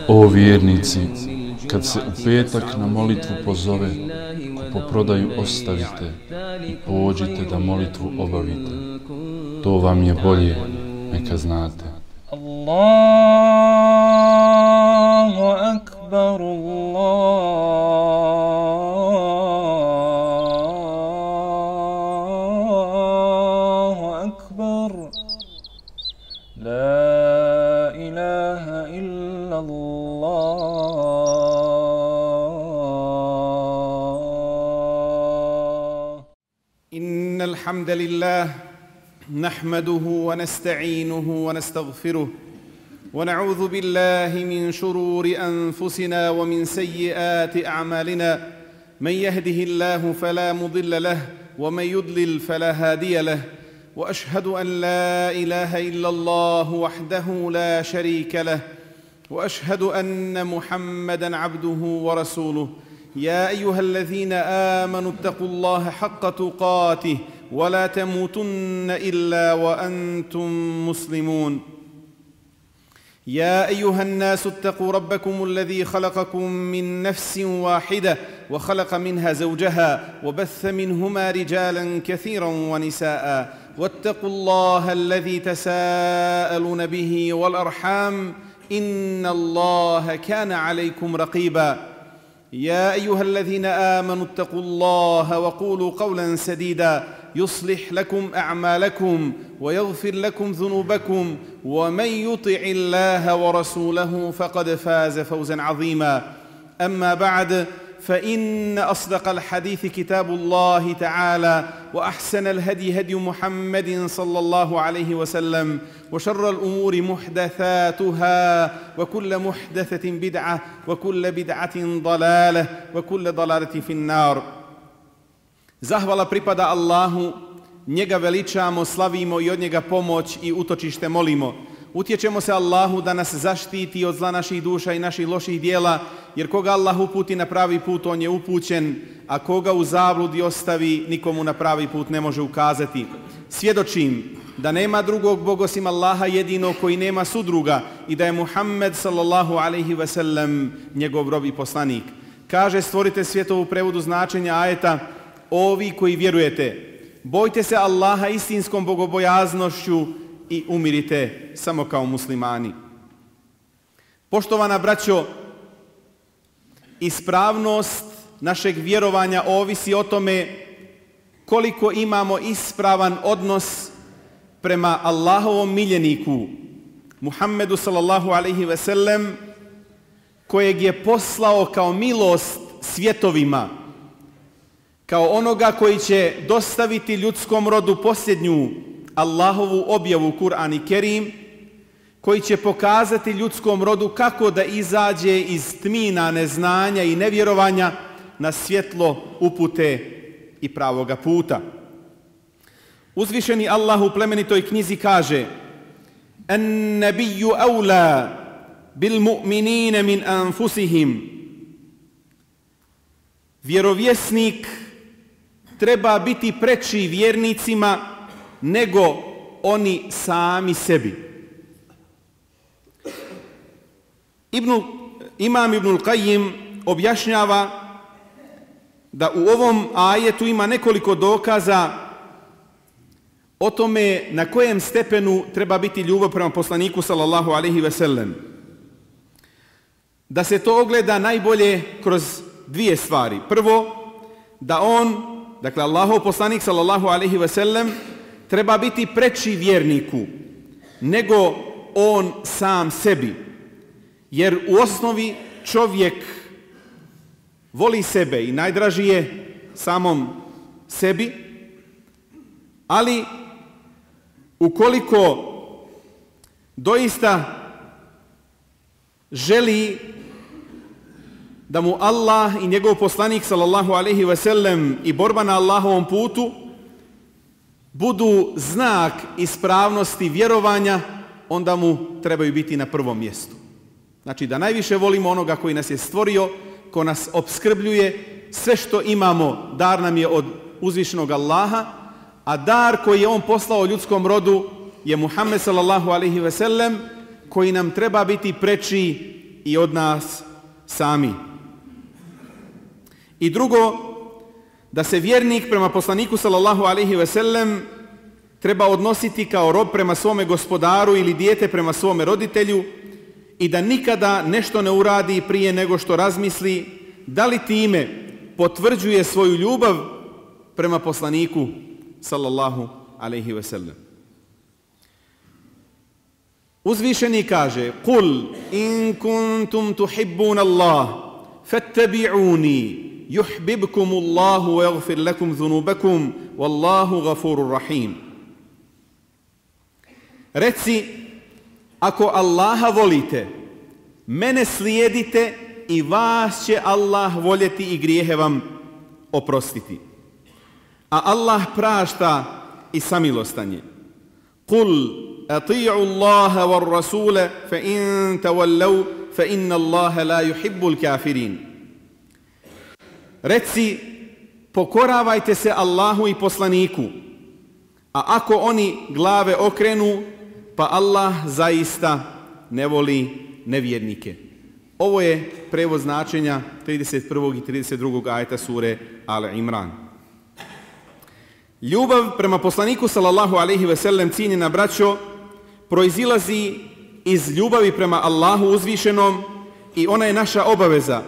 O vjernici, kad se u petak na molitvu pozove, kupoprodaju ostavite i pođite da molitvu obavite. To vam je bolje, neka znate. Allahu akbar, Allahu akbar, la ilaha illa Allah. Innal hamdalillah نحمده ونستعينه ونستغفره ونعوذ بالله من شرور أنفسنا ومن سيئات أعمالنا من يهده الله فلا مضل له ومن يضلل فلا هادي له وأشهد أن لا إله إلا الله وحده لا شريك له وأشهد أن محمدًا عبده ورسوله يا أيها الذين آمنوا اتقوا الله حق تقاته ولا تموتن إلا وأنتم مسلمون يا أيها الناس اتقوا ربكم الذي خلقكم من نفس واحدة وخلق منها زوجها وبث منهما رجالا كثيرا ونساء واتقوا الله الذي تساءلون به والأرحام إن الله كان عليكم رقيبا يا أيها الذين آمنوا اتقوا الله وقولوا قولا سديدا يصلح لكم أعمالكم ويغفر لكم ذنوبكم ومن يطع الله ورسوله فقد فاز فوزا عظيما أما بعد فإن أصدق الحديث كتاب الله تعالى وأحسن الهدي هدي محمد صلى الله عليه وسلم وشر الأمور محدثاتها وكل محدثة بدعة وكل بدعة ضلالة وكل ضلالة في النار. Zahvala pripada Allahu, njega veličamo, slavimo i od njega pomoć i utočište molimo. Utječemo se Allahu da nas zaštiti od zla naših duša i naših loših dijela, jer koga Allah uputi na pravi put, on je upućen, a koga u zabludi ostavi, nikomu na pravi put ne može ukazati. Svjedočim da nema drugog Boga osim Allaha jedinog koji nema sudruga i da je Muhammed sallallahu alejhi ve sellem njegov rob i poslanik. Kaže stvoritelj svjetova u prevodu značenja ajeta: ovi koji vjerujete, bojte se Allaha istinskom bogobojaznošću i umirite samo kao muslimani. Poštovana braćo, ispravnost našeg vjerovanja ovisi o tome koliko imamo ispravan odnos prema Allahovom miljeniku, Muhammedu sallallahu alejhi ve sellem, kojeg je poslao kao milost svjetovima, kao onoga koji će dostaviti ljudskom rodu posljednju Allahovu objavu Kur'an i Kerim, koji će pokazati ljudskom rodu kako da izađe iz tmina neznanja i nevjerovanja na svjetlo upute i pravoga puta. Uzvišeni Allah u plemenitoj knjizi kaže: "En-nabiyyu awla bil mu'minina min anfusihim." Vjerovjesnik treba biti preči vjernicima nego oni sami sebi. Imam Ibnul Qayyim objašnjava da u ovom ajetu ima nekoliko dokaza o tome na kojem stepenu treba biti ljubav prema poslaniku sallallahu alejhi ve sellem. Da se to ogleda najbolje kroz dvije stvari. Prvo, da on, dakle Allahov poslanik sallallahu alejhi ve sellem, treba biti preči vjerniku nego on sam sebi. Jer u osnovi čovjek voli sebe i najdraži je samom sebi, ali ukoliko doista želi da mu Allah i njegov poslanik sallallahu alejhi ve sellem i borba na Allahovom putu budu znak ispravnosti vjerovanja, onda mu trebaju biti na prvom mjestu. Znači da najviše volimo onoga koji nas je stvorio, ko nas opskrbljuje, sve što imamo dar nam je od uzvišenog Allaha, a dar koji je on poslao ljudskom rodu je Muhammed sallallahu alejhi ve sellem, koji nam treba biti preči i od nas sami. I drugo, da se vjernik prema poslaniku sallallahu alejhi ve sellem treba odnositi kao rob prema svome gospodaru ili dijete prema svome roditelju i da nikada nešto ne uradi prije nego što razmisli da li time potvrđuje svoju ljubav prema poslaniku sallallahu alejhi ve sellem. Uzvišeni kaže: "Kul in kuntum tuhibbun Allah fattabi'uni yuhibbukumullahu wa yaghfir lakum dhunubakum wallahu ghafurur rahim." Reci, ako Allaha volite, mene slijedite i vas će Allah voljeti i grijehe vam oprostiti. A Allah prašta i samilostan je. Kul ati'u Allaha war rasula fa in tawallaw fa inna Allaha la yuhibbul kafirin. Reci, pokoravajte se Allahu i poslaniku, a ako oni glave okrenu, pa Allah zaista ne voli nevjernike. Ovo je prevod značenja 31. i 32. ajeta sure Al Imran. Ljubav prema poslaniku sallallahu alejhi ve sellem, cijenjena braćo, proizilazi iz ljubavi prema Allahu uzvišenom i ona je naša obaveza,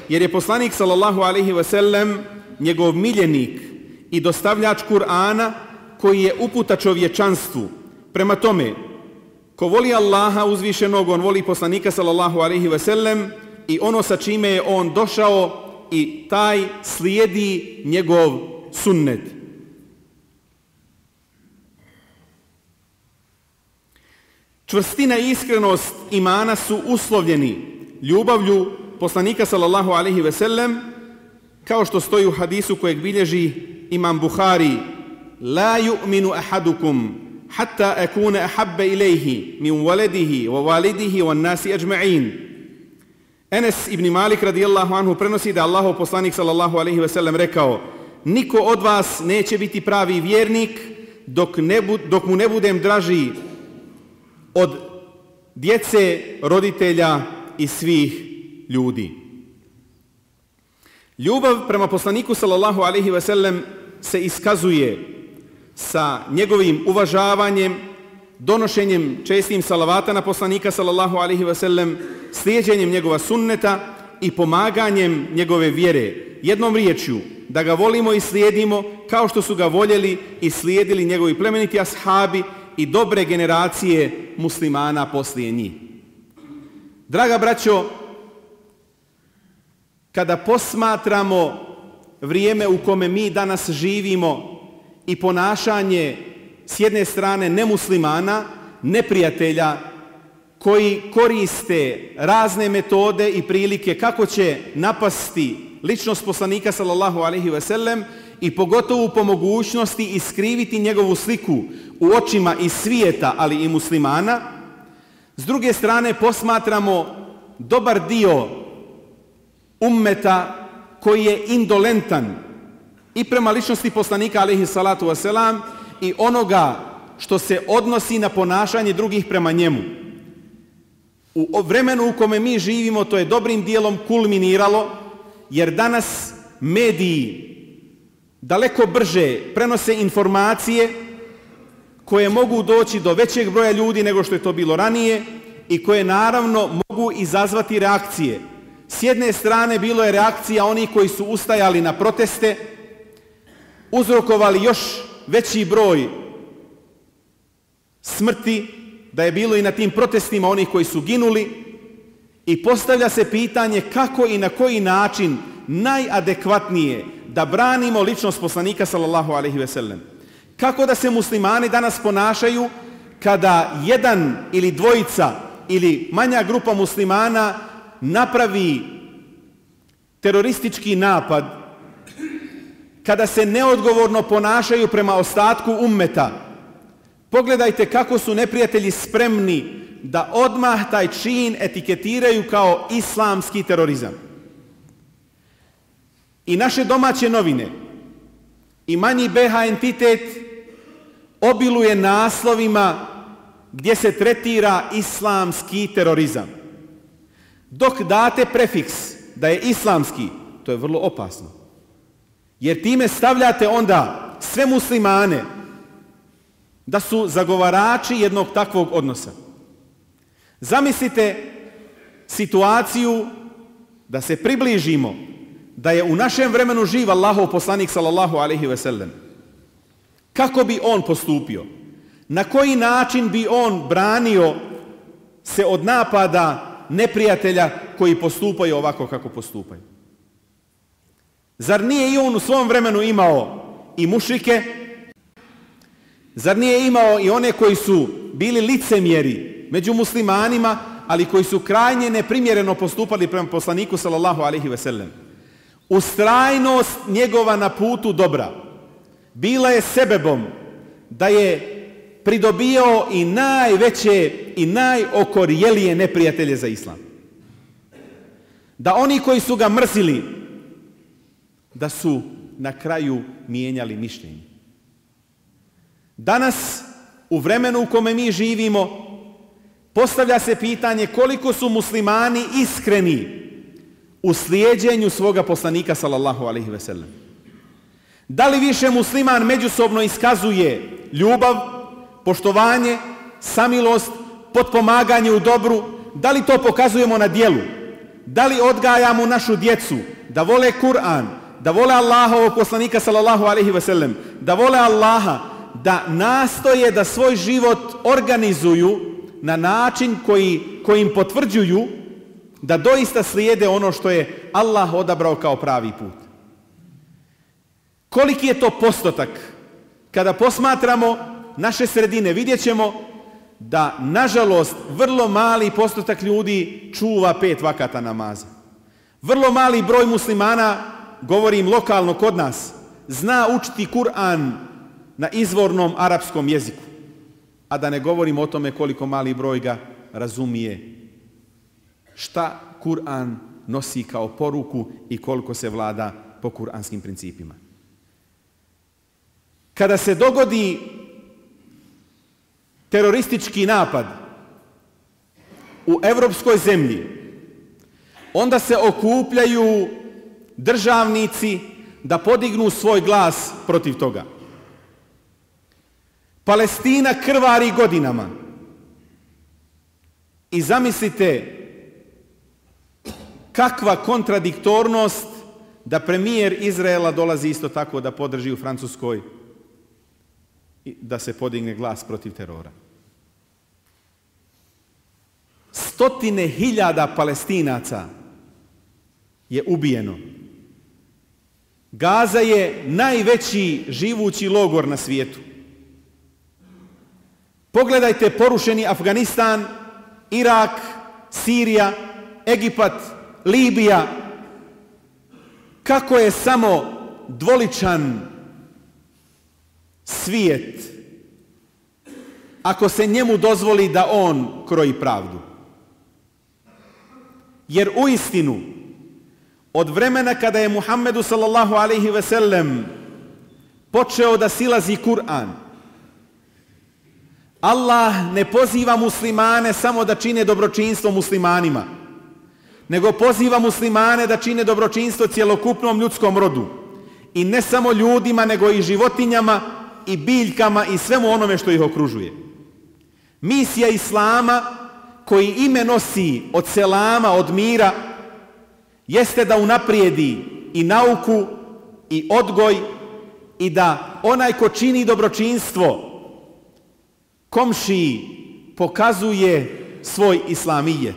jer je poslanik sallallahu alejhi ve sellem njegov miljenik i dostavljač Kur'ana koji je uputa čovječanstvu. Prema tome, ko voli Allaha uzvišenog, on voli poslanika sallallahu alejhi ve sellem i ono sa čime je on došao i taj slijedi njegov sunnet. Čvrstina i iskrenost imana su uslovljeni ljubavlju poslanika sallallahu alejhi ve sellem, kao što stoji u hadisu kojeg bilježi imam Buhari: "La yu'minu ahadukum hatta akuna ahabba ilayhi min waladihi wa walidihi wan nasi ajma'in." Enes ibn Malik radijallahu anhu prenosi da Allahov poslanik sallallahu alejhi ve sellem rekao: "Niko od vas neće biti pravi vjernik dok mu ne budem draži od djece, roditelja i svih ljudi." Ljubav prema poslaniku sallallahu alejhi ve sellem se iskazuje sa njegovim uvažavanjem, donošenjem čestim salavata na poslanika sallallahu alejhi ve sellem, slijeđenjem njegova sunneta i pomaganjem njegove vjere. Jednom riječju, da ga volimo i slijedimo kao što su ga voljeli i slijedili njegovi plemeniti ashabi i dobre generacije muslimana poslije njih. Draga braćo, kada posmatramo vrijeme u kome mi danas živimo i ponašanje s jedne strane nemuslimana, neprijatelja koji koriste razne metode i prilike kako će napasti ličnost poslanika sallallahu alejhi ve sellem i pogotovo po mogućnosti iskriviti njegovu sliku u očima i svijeta, ali i muslimana, s druge strane posmatramo dobar dio ummeta koji je indolentan i prema ličnosti poslanika alejhi salatu vesselam i onoga što se odnosi na ponašanje drugih prema njemu. U vremenu u kome mi živimo to je dobrim dijelom kulminiralo, jer danas mediji daleko brže prenose informacije koje mogu doći do većeg broja ljudi nego što je to bilo ranije i koje naravno mogu izazvati reakcije. S jedne strane bilo je reakcija onih koji su ustajali na proteste, uzrokovali još veći broj smrti, da je bilo i na tim protestima onih koji su ginuli, i postavlja se pitanje kako i na koji način najadekvatnije da branimo ličnost poslanika sallallahu alejhi ve sellem. Kako da se muslimani danas ponašaju kada jedan ili dvojica ili manja grupa muslimana napravi teroristički napad, kada se neodgovorno ponašaju prema ostatku ummeta. Pogledajte kako su neprijatelji spremni da odmah taj čin etiketiraju kao islamski terorizam. I naše domaće novine i manji BH entitet obiluje naslovima gdje se tretira islamski terorizam. Dok date prefiks da je islamski, to je vrlo opasno. Jer time stavljate onda sve muslimane da su zagovarači jednog takvog odnosa. Zamislite situaciju da se približimo da je u našem vremenu živ Allahov poslanik sallallahu alejhi ve sellem. Kako bi on postupio? Na koji način bi on branio se od napada neprijatelja koji postupaju ovako kako postupaju? Zar nije i on u svom vremenu imao i mušrike? Zar nije imao i one koji su bili licemjeri među muslimanima, ali koji su krajnje neprimjereno postupali prema poslaniku sallallahu alejhi ve sellem? Ustrajnost njegova na putu dobra bila je sebebom da je pridobio i najveće i najokorjelije neprijatelje za islam. Da oni koji su ga mrzili, da su na kraju mijenjali mišljenje. Danas, u vremenu u kome mi živimo, postavlja se pitanje koliko su muslimani iskreni u slijeđenju svoga poslanika sallallahu alejhi ve sellem. Da li više musliman međusobno iskazuje ljubav, poštovanje, samilost, potpomaganje u dobru? Da li to pokazujemo na djelu? Da li odgajamo našu djecu da vole Kur'an, da vole Allahovog poslanika sallallahu alejhi ve sellem, da vole Allaha, da nastoje da svoj život organizuju na način kojim potvrđuju da doista slijede ono što je Allah odabrao kao pravi put? Koliki je to postotak? Kada posmatramo naše sredine, vidjet ćemo da, nažalost, vrlo mali postotak ljudi čuva 5 vakata namaza. Vrlo mali broj muslimana, govorim lokalno kod nas, zna učiti Kur'an na izvornom arapskom jeziku. A da ne govorim o tome koliko mali broj ga razumije šta Kur'an nosi kao poruku i koliko se vlada po kur'anskim principima. Kada se dogodi teroristički napad u evropskoj zemlji, onda se okupljaju državnici da podignu svoj glas protiv toga. Palestina krvari godinama. I zamislite kakva kontradiktornost da premijer Izraela dolazi isto tako da podrži u Francuskoj i da se podigne glas protiv terora. 100.000 Palestinaca je ubijeno. Gaza je najveći živući logor na svijetu. Pogledajte porušeni Afganistan, Irak, Sirija, Egipat, Libija. Kako je samo dvoličan svijet ako se njemu dozvoli da on kroji pravdu. Jer uistinu, od vremena kada je Muhammedu sallallahu alejhi ve sellem počeo da silazi Kur'an, Allah ne poziva muslimane samo da čine dobročinstvo muslimanima, nego poziva muslimane da čine dobročinstvo cjelokupnom ljudskom rodu. I ne samo ljudima, nego i životinjama, i biljkama, i svemu onome što ih okružuje. Misija Islama, koji ime nosi od selama, od mira, jeste da unaprijedi i nauku, i odgoj, i da onaj ko čini dobročinstvo komšiji pokazuje svoj islamijet.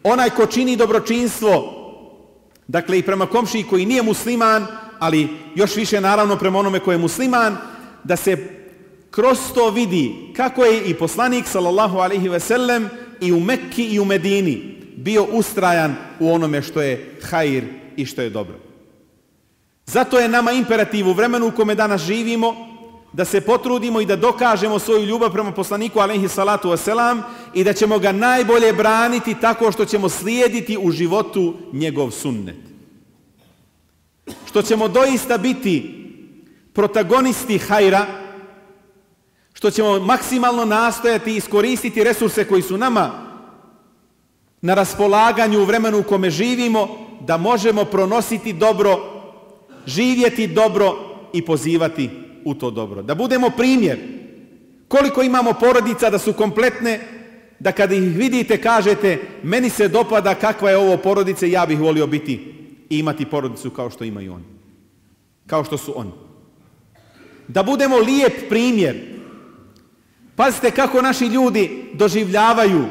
Onaj ko čini dobročinstvo, dakle i prema komšiji koji nije musliman, ali još više naravno prema onome koji je musliman, da se kroz to vidi kako je i poslanik sallallahu alejhi ve sellem i u Mekki i u Medini bio ustrajan u onome što je hajr i što je dobro. Zato je nama imperativ u vremenu u kome danas živimo da se potrudimo i da dokažemo svoju ljubav prema poslaniku alejhi salatu vesselam i da ćemo ga najbolje braniti tako što ćemo slijediti u životu njegov sunnet. Što ćemo doista biti protagonisti hajra, što ćemo maksimalno nastojati iskoristiti resurse koji su nama na raspolaganju u vremenu u kome živimo, da možemo pronositi dobro, živjeti dobro i pozivati u to dobro. Da budemo primjer. Koliko imamo porodica da su kompletne, da kada ih vidite kažete meni se dopada kakva je ovo porodica, ja bih volio biti i imati porodicu kao što imaju oni. Kao što su oni. Da budemo lijep primjer. Pazite kako naši ljudi doživljavaju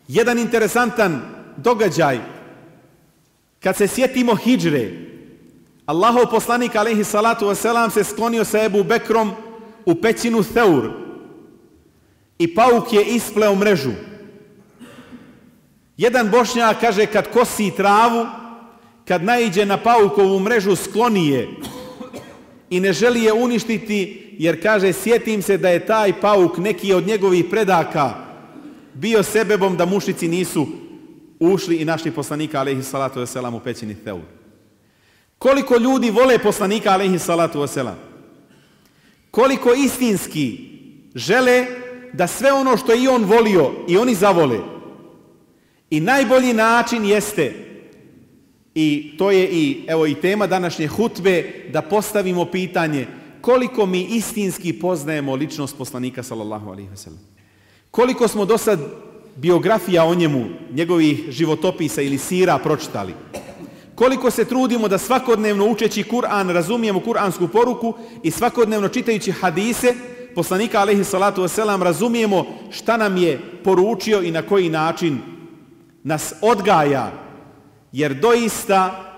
jedan interesantan događaj. Kad se sjetimo hidžre, Allahov poslanik alejhi salatu vesselam se sklonio sa Ebu Bekrom u pećinu Theur i pauk je ispleo mrežu. Jedan Bošnjak kaže kad kosi travu, kad naiđe na paukovu mrežu skloni je i ne želi je uništiti jer kaže sjetim se da je taj pauk neki od njegovih predaka bio sebebom da mušici nisu ušli i našli poslanika alejhi salatu vesselam u pećini Theur. Koliko ljudi vole poslanika alejhi salatu vesselam. Koliko istinski žele da sve ono što i on volio i oni zavole. I najbolji način jeste, i to je i tema današnje hutbe, da postavimo pitanje koliko mi istinski poznajemo ličnost poslanika sallallahu alejhi ve sellem. Koliko smo do sad biografija o njemu, njegovih životopisa ili sira pročitali. Koliko se trudimo da svakodnevno učeći Kur'an razumijemo kuransku poruku i svakodnevno čitajući hadise poslanika alejhi salatu vesselam razumijemo šta nam je poručio i na koji način nas odgaja. Jer doista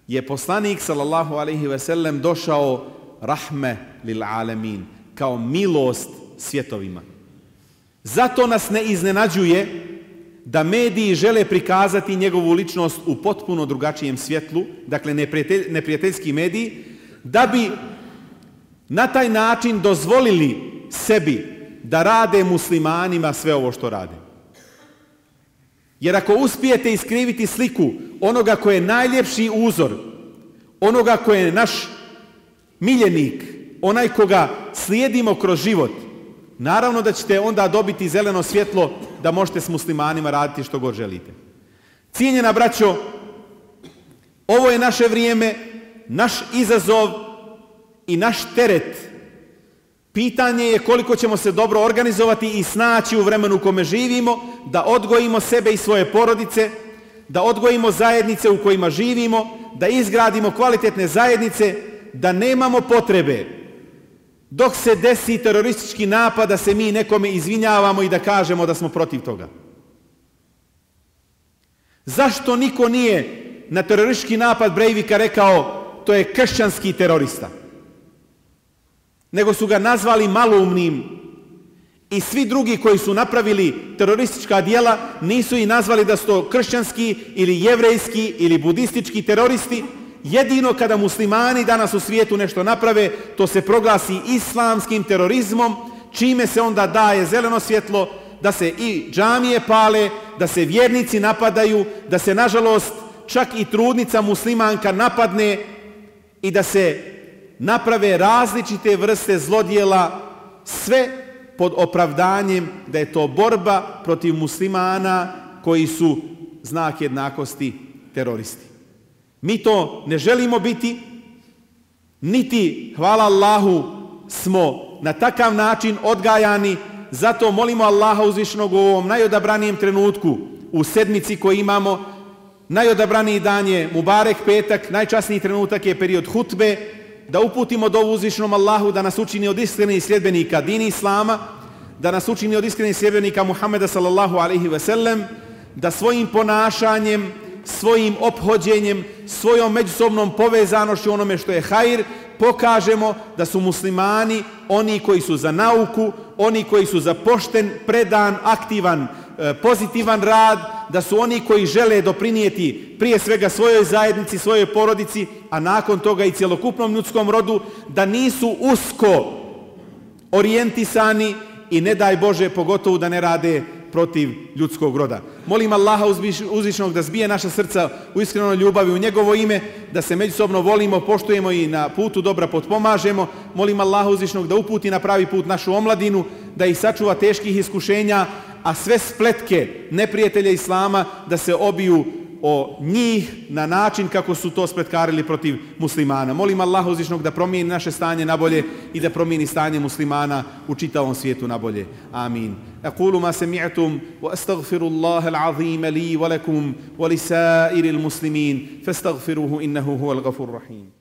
je poslanik sallallahu alejhi ve sellem došao rahme lil alemin, kao milost svjetovima. Zato nas ne iznenađuje da mediji žele prikazati njegovu ličnost u potpuno drugačijem svjetlu, dakle neprijateljski mediji, da bi na taj način dozvolili sebi da rade muslimanima sve ovo što rade. Jer ako uspijete iskriviti sliku onoga koji je najljepši uzor, onoga koji je naš miljenik, onaj koga slijedimo kroz život, naravno da ćete onda dobiti zeleno svjetlo da možete s muslimanima raditi što god želite. Cijenjena braćo, ovo je naše vrijeme, naš izazov i naš teret. Pitanje je koliko ćemo se dobro organizovati i snaći u vremenu u kome živimo, da odgojimo sebe i svoje porodice, da odgojimo zajednice u kojima živimo, da izgradimo kvalitetne zajednice, da nemamo potrebe dok se desi teroristički napad da se mi nekome izvinjavamo i da kažemo da smo protiv toga. Zašto niko nije na teroristički napad Breivika rekao to je kršćanski terorista? Nego su ga nazvali maloumnim i svi drugi koji su napravili teroristička djela nisu i nazvali da su to kršćanski ili jevrejski ili budistički teroristi. Jedino kada muslimani danas u svijetu nešto naprave, to se proglasi islamskim terorizmom, čime se onda daje zeleno svjetlo da se i džamije pale, da se vjernici napadaju, da se nažalost čak i trudnica muslimanka napadne i da se naprave različite vrste zlodjela, sve pod opravdanjem da je to borba protiv muslimana koji su znak jednakosti teroristi. Mi to ne želimo biti, niti, hvala Allahu, smo na takav način odgajani, zato molimo Allaha uzvišenog u ovom najodabranijem trenutku, u sedmici koji imamo, najodabraniji dan je Mubarek petak, najčasniji trenutak je period hutbe, da uputimo dovu uzvišenom Allahu da nas učini od iskrenih sljedbenika dini Islama, da nas učini od iskrenih sljedbenika Muhammeda sallallahu alaihi ve sellem, da svojim ponašanjem, svojim ophođenjem, svojom međusobnom povezanošću onome što je hajr, pokažemo da su muslimani oni koji su za nauku, oni koji su za pošten, predan, aktivan, pozitivan rad, da su oni koji žele doprinijeti prije svega svojoj zajednici, svojoj porodici, a nakon toga i cjelokupnom ljudskom rodu, da nisu usko orijentisani i ne daj Bože pogotovo da ne rade protiv ljudskog roda. Molim Allaha uzvišenog da zbije naša srca u iskrenoj ljubavi u njegovo ime, da se međusobno volimo, poštujemo i na putu dobra potpomažemo. Molim Allaha uzvišenog da uputi na pravi put našu omladinu, da ih sačuva teških iskušenja, a sve spletke neprijatelja Islama da se obiju o njih na način kako su to spletkarili protiv muslimana. Molim Allaha uzvišnog da promijeni naše stanje na bolje i da promijeni stanje muslimana u čitavom svijetu na bolje. Amin. Aqulu ma sami'tum wa astaghfirullaha al-azim li wa lakum wa li sa'iril muslimin fastaghfiruhu innahu huwal ghafurur rahim.